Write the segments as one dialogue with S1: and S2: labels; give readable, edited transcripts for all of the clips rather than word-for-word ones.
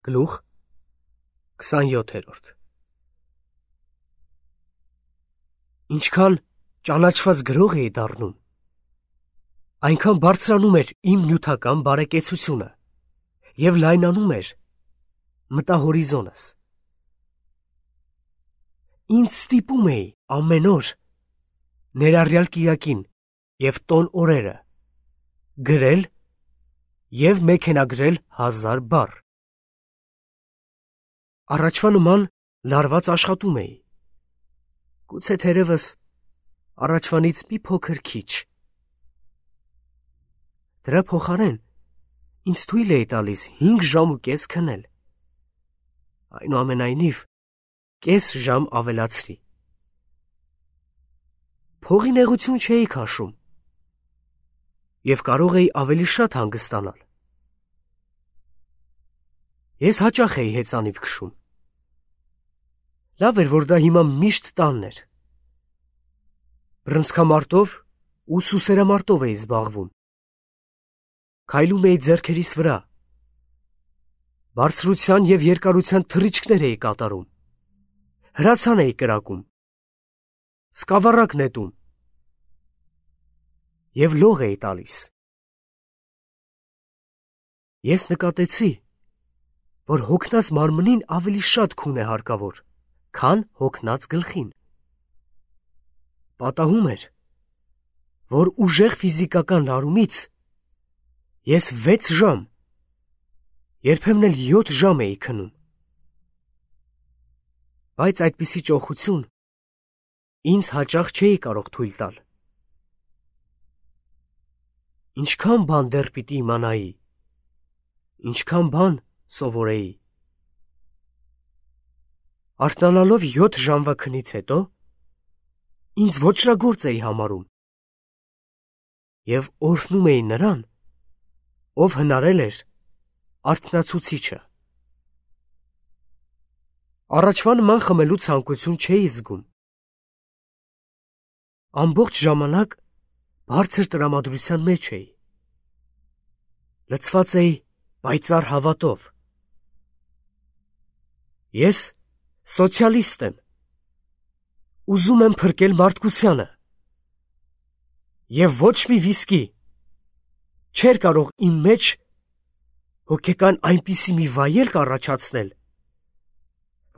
S1: Գլուխ 27 Ինչքան ճանաչված գրող էի դառնում, այնքան բարձրանում էր իմ նյութական բարեկեցությունը և լայնանում էր մտահորիզոնս։ Ինձ ստիպում էի ամեն օր, ներառյալ կիրակին և տոն օրերը, գրել և մեքենագրել 1000 բառ։ Առաջվա նման լարված աշխատում էի, գուցե թերևս առաջվանից մի փոքր քիչ։ Դրա փոխարեն ինձ թույլ էի տալիս 5 ժամ ու կես քնել, այնուամենայնիվ կես ժամ ավելացրի։ Փողի նեղություն չէի քաշում և կարող էի ավելի շատ հանգստանալ։ Ես հաճախ էի հեծանիվ քշում։ Լավ էր, որ դա հիմա միշտ տանն էր։ Բռնցքամարտով ու սուսերամարտով էի զբաղվում։ Քայլում էի ձեռքերիս վրա։ Բարձրության և երկարության թռիչքներ էի կատարում։ Հրացան էի կրակում։ Սկավառակ նետում։ Եվ լող էի տալիս։ Ես նկատեցի, որ հոգնած մարմնին ավելի շատ քուն է հարկավոր, քան հոգնած գլխին։ Պատահում էր, որ ուժեղ ֆիզիկական լարումից ես 6 ժամ, երբեմն էլ 7 ժամ էի քնում։ Բայց այդպիսի ճոխություն ինձ հաճախ չէի կարող թույլ տալ։ Ինչքան բան դեռ պիտի իմանայի, ինչքան բան սովորեի։ Արթնանալով 7 ժամվա քնից հետո ինձ ոճրագործ էի համարում և օրհնում էի նրան, ով հնարել էր արթնացուցիչը։ Առաջվա նման խմելու ցանկություն չէի զգում։ Ամբողջ ժամանակ բարձր տրամադրության մեջ էի։ Լցված էի պայծառ հավատով։ Ես սոցիալիստ եմ, ուզում եմ փրկել մարդկությանը, և ոչ մի վիսկի չէր կարող իմ մեջ հոգեկան այնպիսի մի վայելք առաջացնել,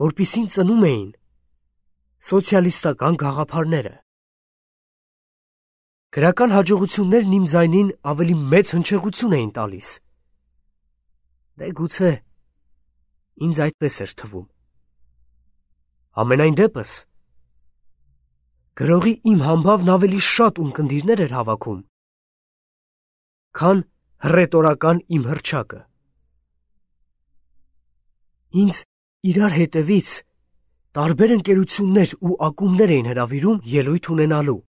S1: որպիսին ծնում էին սոցիալիստական գաղափարները։ Գրական հաջողություններն իմ ձայնին ավելի մեծ հնչեղություն էին տալիս։ Դե գուցե ինձ այդպես էր թվում։ Համենայն դեպս, գրողի իմ համբավն ավելի շատ ունկնդիրներ էր հավաքում, քան հռետորական իմ հռչակը։ Ինձ իրար հետևից տարբեր ընկերություններ ու ակումբներ էին հրավիրում ելույթ ունենալու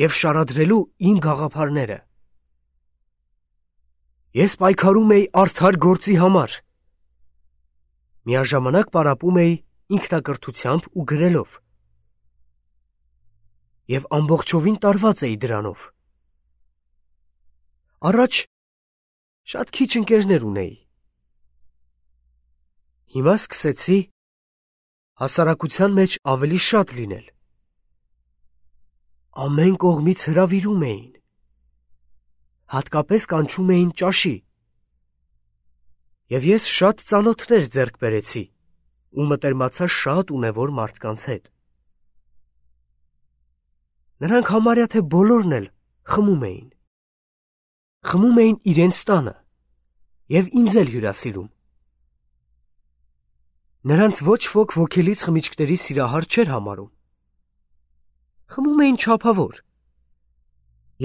S1: և շարադրելու իմ գաղափարները։ Ես պայքարում էի արդար գործի համար, միաժամանակ պարապում էի ինքնակրթությամբ ու գրելով, և ամբողջովին տարված էի դրանով։ Առաջ շատ քիչ ընկերներ ունեի։ Հիմա սկսեցի հասարակության մեջ ավելի շատ լինել։ Ամեն կողմից հրավիրում էին, հատկապես կանչում էին ճաշի, և ես շատ ծանոթներ ձեռք բերեցի ու մտերմացա շատ ունևոր մարդկանց հետ։ Նրանք համարյա թե բոլորն էլ խմում էին։ Խմում էին իրենց տանը և ինձ էլ հյուրասիրում։ Նրանց ոչ ոք ոգելից խմիչքների սիրահար չէր համարում։ Խմում էին չափավոր,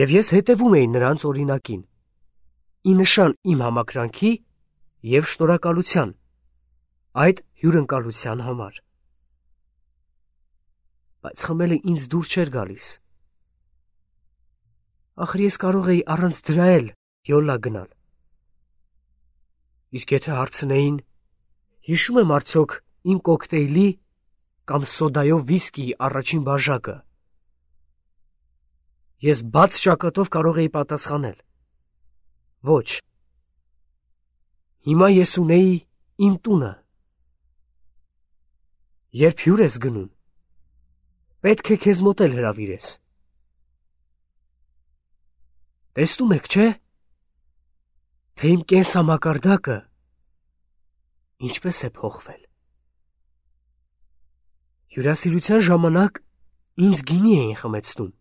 S1: և ես հետևում էի նրանց օրինակին, ի նշան իմ համակրանքի և շնորհակալության այդ հյուրընկալության համար։ Բայց խմելը ինձ դուր չէր գալիս։ Ախր ես կարող էի առանց դրա էլ յոլա գնալ։ Իսկ եթե հարցնեին, հիշում եմ արդյոք իմ կոկտեյլի կամ սոդայով վիսկիի առաջին բաժակը, ես բաց ճակատով կարող էի պատասխանել. ոչ։ Հիմա ես ունեի իմ տունը։ Երբ հյուր ես գնում, պետք է քեզ մոտ էլ հրավիրես։ Տեսնում եք, չէ՞, թե իմ կենսամակարդակը ինչպես է փոխվել։ Հյուրասիրության ժամանակ ինձ գինի էին խմեցնում։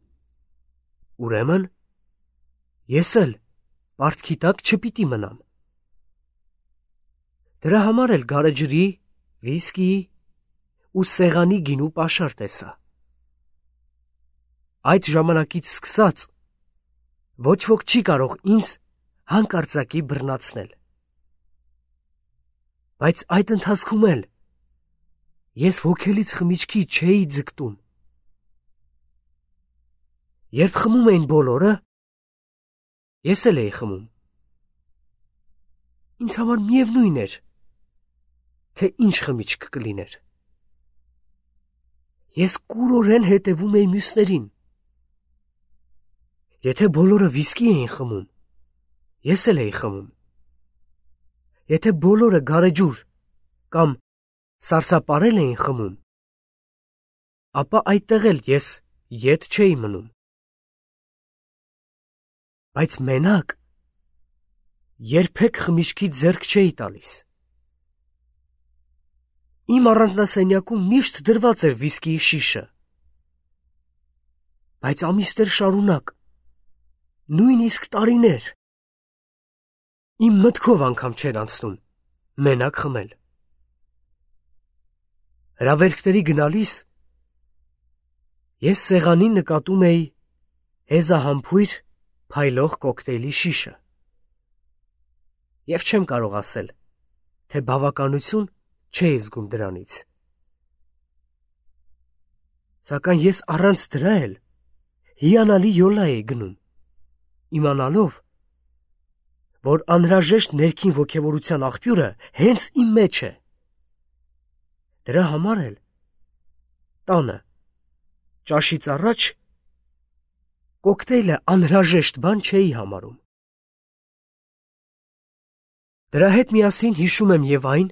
S1: Ուրեմն, ես էլ պարտքի տակ չպիտի մնամ։ Դրա համար էլ գարեջրի, վիսկիի ու սեղանի գինու պաշար տեսա։ Այդ ժամանակից սկսած ոչ ոք չի կարող ինձ հանկարծակի բռնացնել։ Բայց այդ ընթացքում էլ ես ոգելից խմիչքի չէի ձգտում։ Երբ խմում էին բոլորը, ես էլ էի խմում։ Ինձ համար միևնույն էր, թե ինչ խմիչք կլիներ։ Ես կուրորեն հետևում էի մյուսներին։ Եթե բոլորը վիսկի էին խմում, ես էլ էի խմում։ Եթե բոլորը գարեջուր կամ սարսափարել էին խմում, ապա այդտեղ էլ ես ետ չէի մնում։ Բայց մենակ երբեք խմիչքի ձեռք չէի տալիս։ Իմ առանձնասենյակում միշտ դրված էր վիսկիի շիշը։ Բայց ամիսներ շարունակ, նույնիսկ տարիներ, իմ մտքով անգամ չէր անցնում մենակ խմել։ Հրավերքների գնալիս ես սեղանին նկատում էի հեզահամբույր փայլող կոկտեյլի շիշը և չեմ կարող ասել, թե բավականություն չէի զգում դրանից։ Սակայն ես առանց դրա էլ հիանալի յոլա էի գնում, իմանալով, որ անհրաժեշտ ներքին ոգևորության աղբյուրը հենց իմ մեջ է։ Դրա համար էլ տանը ճաշից առաջ կոկտեյլը անհրաժեշտ բան չէի համարում։ Դրա հետ միասին հիշում եմ և այն,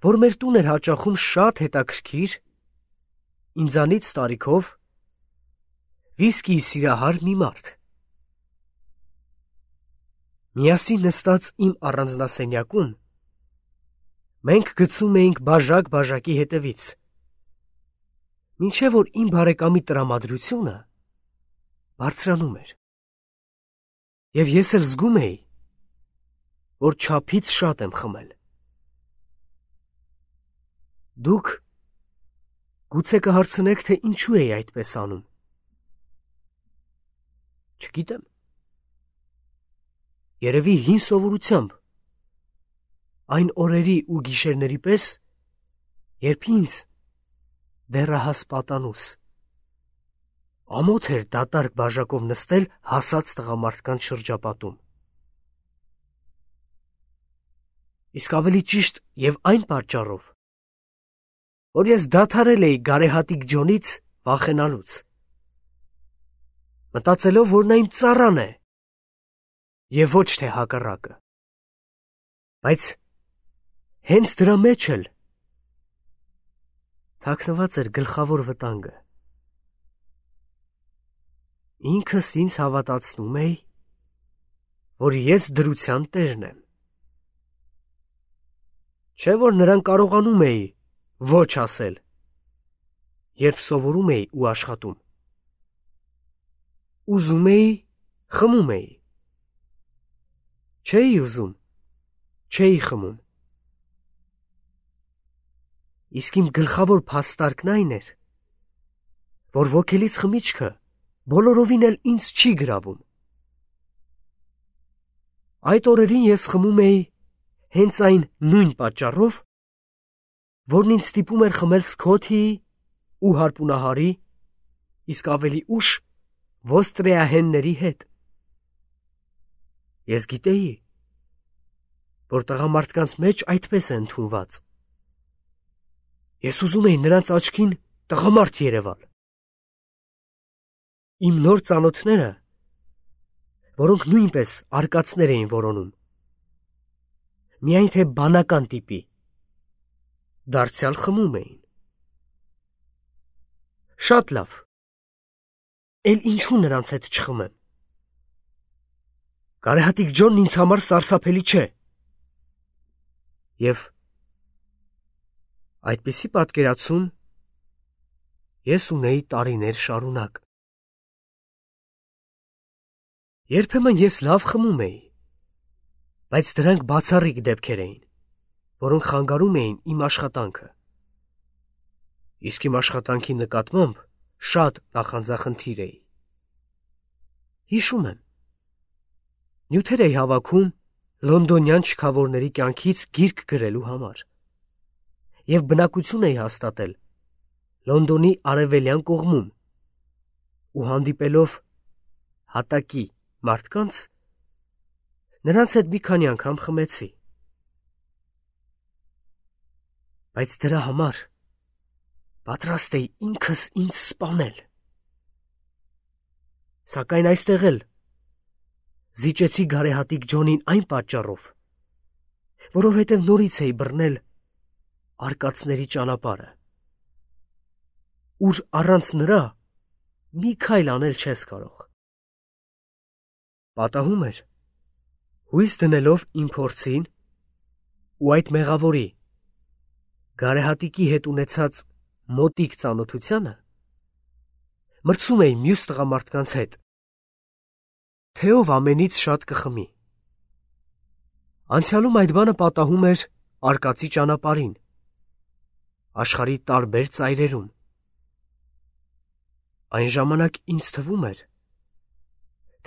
S1: որ մեր տուն էր հաճախում շատ հետաքրքիր, ինձանից տարիքով վիսկիի սիրահար մի մարդ։ Միասին նստած իմ առանձնասենյակում մենք գցում էինք բաժակ բաժակի հետևից, մինչև որ իմ բարեկամի տրամադրությունը բարձրանում էր։ Եվ ես էլ զգում էի, որ չափից շատ եմ խմել։ Դուք գուցե կհարցնեք, թե ինչու էի այդպես անում։ Չգիտեմ։ Երևի հին սովորությամբ, այն օրերի ու գիշերների պես, երբ ինձ դեռահաս պատանուս ամոթ էր դատարկ բաժակով նստել հասած տղամարդկանց շրջապատում։ Իսկ ավելի ճիշտ և այն պատճառով, որ ես դադարել էի գարեհատիկ Ջոնից վախենալուց, մտածելով, որ նա իմ ծառան է և ոչ թե հակառակը։ Բայց հենց դրա մեջ էլ թաքնված էր գլխավոր վտանգը։ Ինքս ինձ հավատացնում էի, որ ես դրության տերն եմ։ Չէ՞ որ նրան կարողանում էի ոչ ասել, երբ սովորում էի ու աշխատում։ Ուզում էի, խմում էի։ Չէի ուզում, չէի խմում։ Իսկ իմ գլխավոր փաստարկն այն էր, որ ոգելից խմիչքը բոլորովին էլ ինձ չի գրավում։ Այդ օրերին ես խմում էի հենց այն նույն պատճառով, որն ինձ ստիպում էր խմել Սքոթիի ու հարպունահարի, իսկ ավելի ուշ ոստրեահենների հետ։ Ես գիտեի, որ տղամարդկանց մեջ այդպես է ընդունված։ Ես ուզում էի նրանց աչքին տղամարդ երևալ։ Իմ նոր ծանոթները, որոնք նույնպես արկածներ էին որոնում, Միայն թե բանական տիպի։ Դարձյալ խմում էին։ Շատ լավ։ Էլ ինչու նրանց հետ չխմեմ։ Գարեհատիկ Ջոնն ինձ համար սարսափելի չէ։ Եվ այդպիսի պատկերացում ես ունեի տարիներ շարունակ։ Երբեմն ես լավ խմում էի, բայց դրանք բացառիկ դեպքեր էին, որոնք խանգարում էին իմ աշխատանքը։ Իսկ իմ աշխատանքի նկատմամբ շատ նախանձախնդիր էի։ Հիշում եմ, նյութեր էի հավաքում լոնդոնյան շքավորների կյանքից գիրք գրելու համար և բնակություն էի հաստատել Լոնդոնի արևելյան կողմում ու հանդիպելով հատակի մարդկանց, նրանց հետ մի քանի անգամ խմեցի։ Բայց դրա համար պատրաստ էի ինքս ինձ սպանել։ Սակայն այստեղ էլ զիջեցի գարեհատիկ Ջոնին այն պատճառով, որովհետև նորից էի բռնել արկածների ճանապարհը, ուր առանց նրա մի քայլ անել չես կարող։ Պատահում էր, հույս դնելով իմ փորձին ու այդ մեղավորի գարեհատիկի հետ ունեցած մոտիկ ծանոթությանը, մրցում էի մյուս տղամարդկանց հետ, թե ով ամենից շատ կխմի։ Անցյալում այդ բանը պատահում էր արկածի ճանապարհին, աշխարհի տարբեր ծայրերում։ Այն ժամանակ ինձ թվում էր,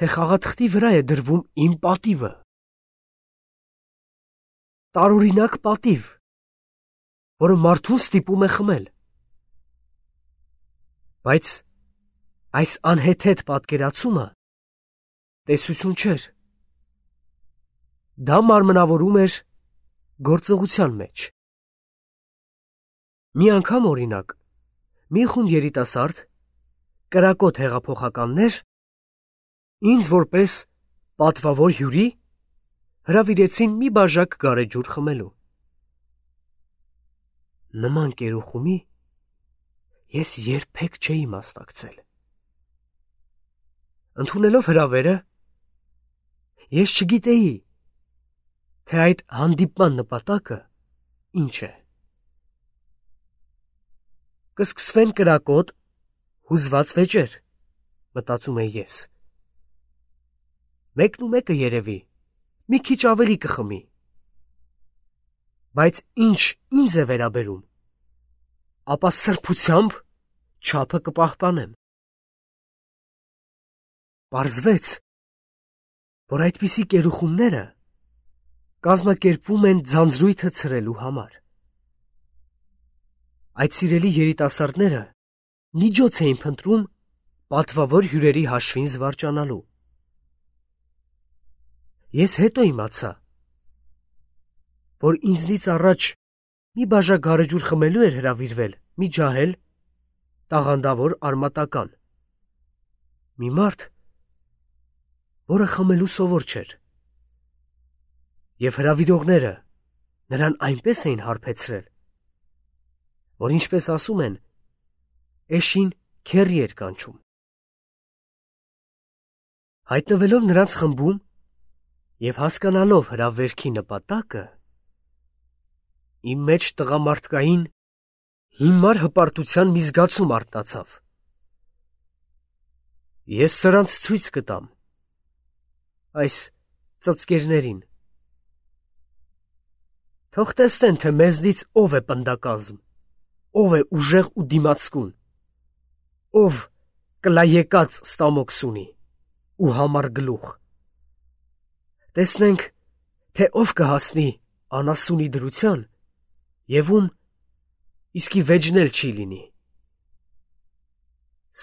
S1: թե խաղաթղթի վրա է դրվում իմ պատիվը։ Տարօրինակ պատիվ, որը մարդուն ստիպում է խմել։ Բայց այս անհեթեթ պատկերացումը տեսություն չէր։ Դա մարմնավորում էր գործողության մեջ։ Մի անգամ, օրինակ, մի խումբ երիտասարդ, կրակոտ հեղափոխականներ ինձ որպես պատվավոր հյուրի հրավիրեցին մի բաժակ գարեջուր խմելու։ Նման կերուխումի ես երբեք չէի մասնակցել։ Ընդունելով հրավերը, ես չգիտեի, թե այդ հանդիպման նպատակը ինչ է։ Կսկսվեն կրակոտ, հուզված վեճեր, մտածում էի ես։ Մեկն ու մեկը երևի մի քիչ ավելի կխմի։ Բայց ինչ ինձ է վերաբերում, ապա սրբությամբ չափը կպահպանեմ։ Պարզվեց, որ այդպիսի կերուխումները կազմակերպվում են ձանձրույթը ցրելու համար։ Այդ սիրելի երիտասարդները միջոց էին փնտրում պատվավոր հյուրերի հաշվին զվարճանալու։ Ես հետո իմացա, որ ինձնից առաջ մի բաժակ գարեջուր խմելու էր հրավիրվել մի ջահել, տաղանդավոր արմատական, մի մարդ, որը խմելու սովոր չէր, և հրավիրողները նրան այնպես էին հարբեցրել, որ ինչպես ասում են, էշին քեռի էր կանչում։ Հայտնվելով նրանց խմբում և հասկանալով հրավերքի նպատակը, իմ մեջ տղամարդկային հիմար հպարտության մի զգացում արթնացավ։ Ես սրանց ցույց կտամ, այս ծծկերներին։ Թող տեսնեն, թե մեզնից ով է պնդակազմ, ով է ուժեղ ու դիմացկուն, ով կլայեկած ստամոքս ունի ու համառ գլուխ։ Տեսնենք, թե ով կհասնի անասունի դրության և ում իսկի վեճն էլ չի լինի։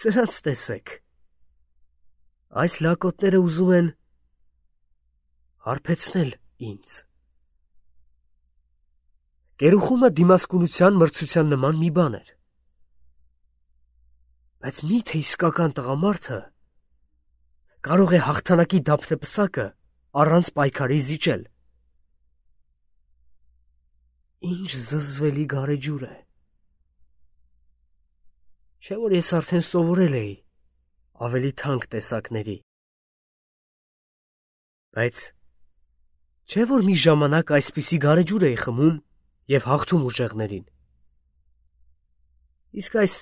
S1: Սրանց տեսեք, այս լակոտները ուզում են հարբեցնել ինձ։ Կերուխումը դիմասկունության մրցության նման մի բան էր։ Բայց մի՞թե իսկական տղամարդը կարող է հաղթանակի դափնեպսակը առանց պայքարի զիջել։ Ինչ զզվելի գարեջուր է։ Չէ՞ որ ես արդեն սովորել էի ավելի թանկ տեսակների։ Բայց չէ՞ որ մի ժամանակ այսպիսի գարեջուր էի խմում և հաղթում ուժեղներին։ Իսկ այս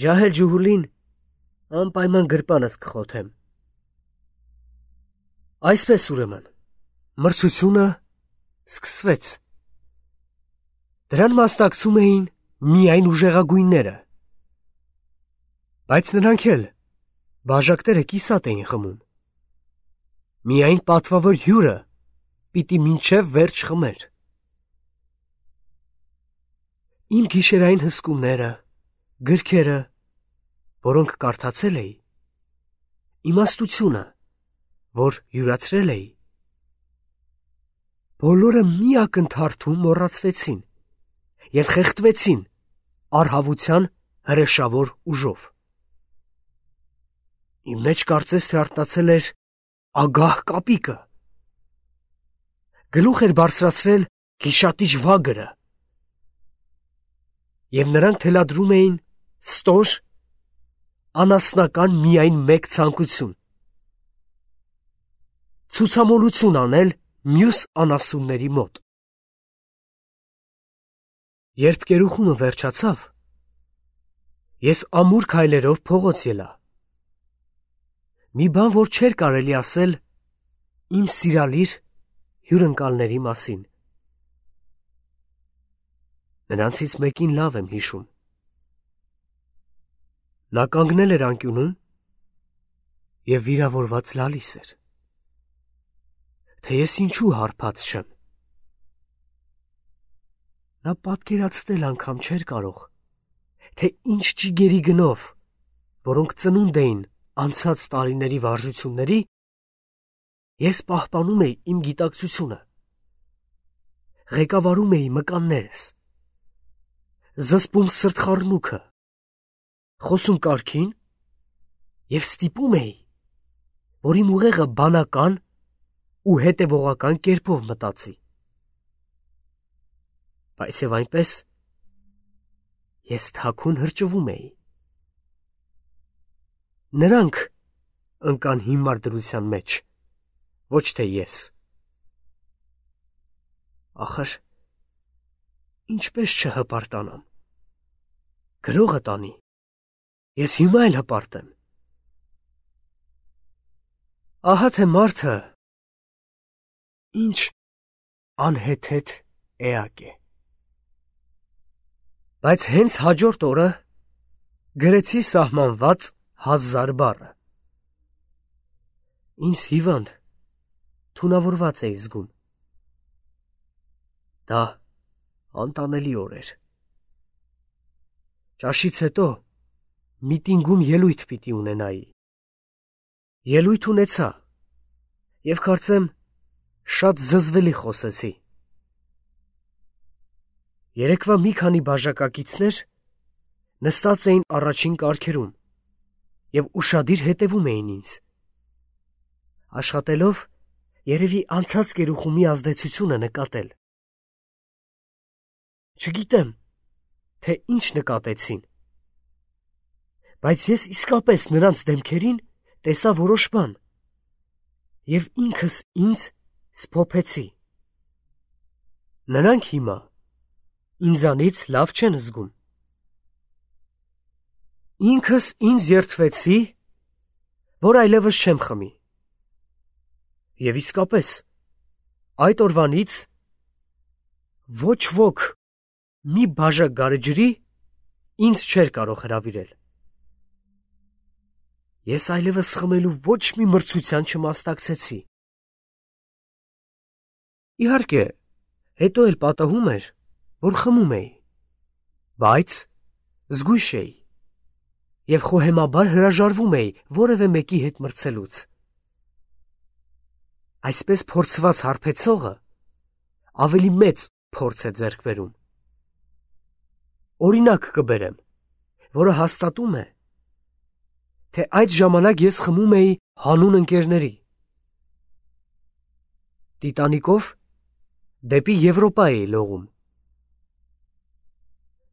S1: ջահել ջուհուլին անպայման գրպանս կխոթեմ։ Այսպես ուրեմն, մրցությունը սկսվեց։ Դրան մասնակցում էին միայն ուժեղագույնները, բայց նրանք էլ բաժակները կիսատ էին խմում։ Միայն պատվավոր հյուրը պիտի մինչև վերջ խմեր։ Իմ գիշերային հսկումները, գրքերը, որոնք կարդացել էի, իմաստությունը, որ յուրացրել էի, բոլորը մի ակնթարթում մոռացվեցին և խեղդվեցին առհավության հրեշավոր ուժով։ Իմ մեջ կարծես թե արթնացել էր ագահ կապիկը, գլուխ էր բարձրացրել գիշատիչ վագրը, և նրանք թելադրում էին ստոր, անասնական միայն մեկ ցանկություն՝ ցուցամոլություն անել մյուս անասունների մոտ։ Երբ կերուխումը վերջացավ, ես ամուր քայլերով փողոց ելա։ Մի բան, որ չէր կարելի ասել իմ սիրալիր հյուրընկալների մասին։ Նրանցից մեկին լավ եմ հիշում։ Նա կանգնել էր անկյունում և վիրավորված լալիս էր, թե ես ինչու հարբած չեմ։ Նա պատկերացնել անգամ չէր կարող, թե ինչ ճիգերի գնով, որոնք ծնունդ էին անցած տարիների վարժությունների, ես պահպանում էի իմ գիտակցությունը, ղեկավարում էի մկաններս, զսպում սրտխառնուքը, խոսում կարգին և ստիպում էի, որ իմ ուղեղը բանական ու հետևողական կերպով մտածի։ Բայց և այնպես ես թաքուն հրճվում էի։ Նրանք ընկան հիմար դրության մեջ, ոչ թե ես։ Ախր, ինչպես չհպարտանամ։ Գրողը տանի, ես հիմա էլ հպարտ եմ։ Ահա թե մարդը ինչ անհեթեթ էակ է։ Բայց հենց հաջորդ օրը գրեցի սահմանված 1000 բառը։ Ինձ հիվանդ, թունավորված էի զգում։ Դա անտանելի օր էր։ Ճաշից հետո միտինգում ելույթ պիտի ունենայի։ Ելույթ ունեցա և կարծեմ շատ զզվելի խոսեցի։ Երեկվա մի քանի բաժակակիցներ նստած էին առաջին կարգերում և ուշադիր հետևում էին ինձ, աշխատելով երևի անցած կերուխումի ազդեցությունը նկատել։ Չգիտեմ, թե ինչ նկատեցին, բայց ես իսկապես նրանց դեմքերին տեսա որոշ բան և ինքս ինձ սփոփեցի։ Նրանք հիմա ինձանից լավ չեն զգում։ Ինքս ինձ երդվեցի, որ այլևս չեմ խմի։ Եվ իսկապես, այդ օրվանից ոչ ոք մի բաժակ գարեջրի ինձ չէր կարող հրավիրել։ Ես այլևս խմելու ոչ մի մրցության չմասնակցեցի։ Իհարկե, հետո էլ պատահում էր, որ խմում էի, բայց զգույշ էի և խոհեմաբար հրաժարվում էի որևէ մեկի հետ մրցելուց։ Այսպես փորձված հարբեցողը ավելի մեծ փորձ է ձեռք բերում։ Օրինակ կբերեմ, որը հաստատում է, թե այդ ժամանակ ես խմում էի հանուն ընկերների։ Տիտանիկով դեպի Եվրոպա էի լողում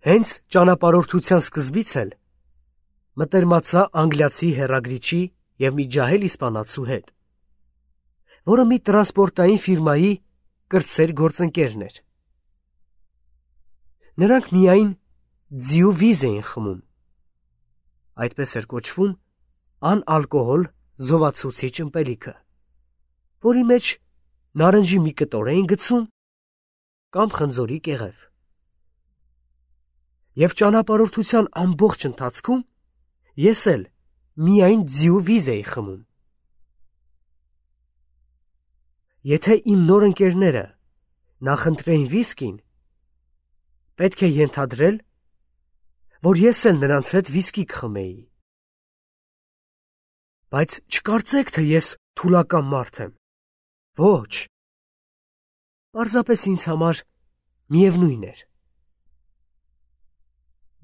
S1: Հենց ճանապարհորդության սկզբից էլ մտերմացա անգլիացի հեռագրիչի և մի ջահել իսպանացու հետ, որը մի տրանսպորտային ֆիրմայի կրտսեր գործընկերն էր։ Նրանք միայն ձիու վիզ էին խմում, այդպես էր կոչվում անալկոհոլ զովացուցիչ ըմպելիքը, որի մեջ նարնջի մի կտոր էին գցում կամ խնձորի կեղև։ Եվ ճանապարհորդության ամբողջ ընթացքում ես էլ միայն ձիու վիզ էի խմում։ Եթե իմ նոր ընկերները նախընտրեին վիսկին, պետք է ենթադրել, որ ես էլ նրանց հետ վիսկի կխմեի։ Բայց չկարծեք, թե ես թուլական մարդ եմ։ Ոչ, պարզապես ինձ համար միևնույն էր։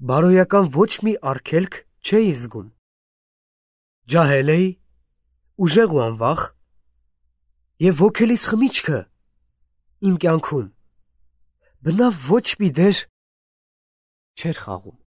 S1: Բարոյական ոչ մի արգելք չէի զգում։ Ջահել էի, ուժեղ ու անվախ, և ոգելիս խմիչքը իմ կյանքում բնավ ոչ մի դեր չէր խաղում։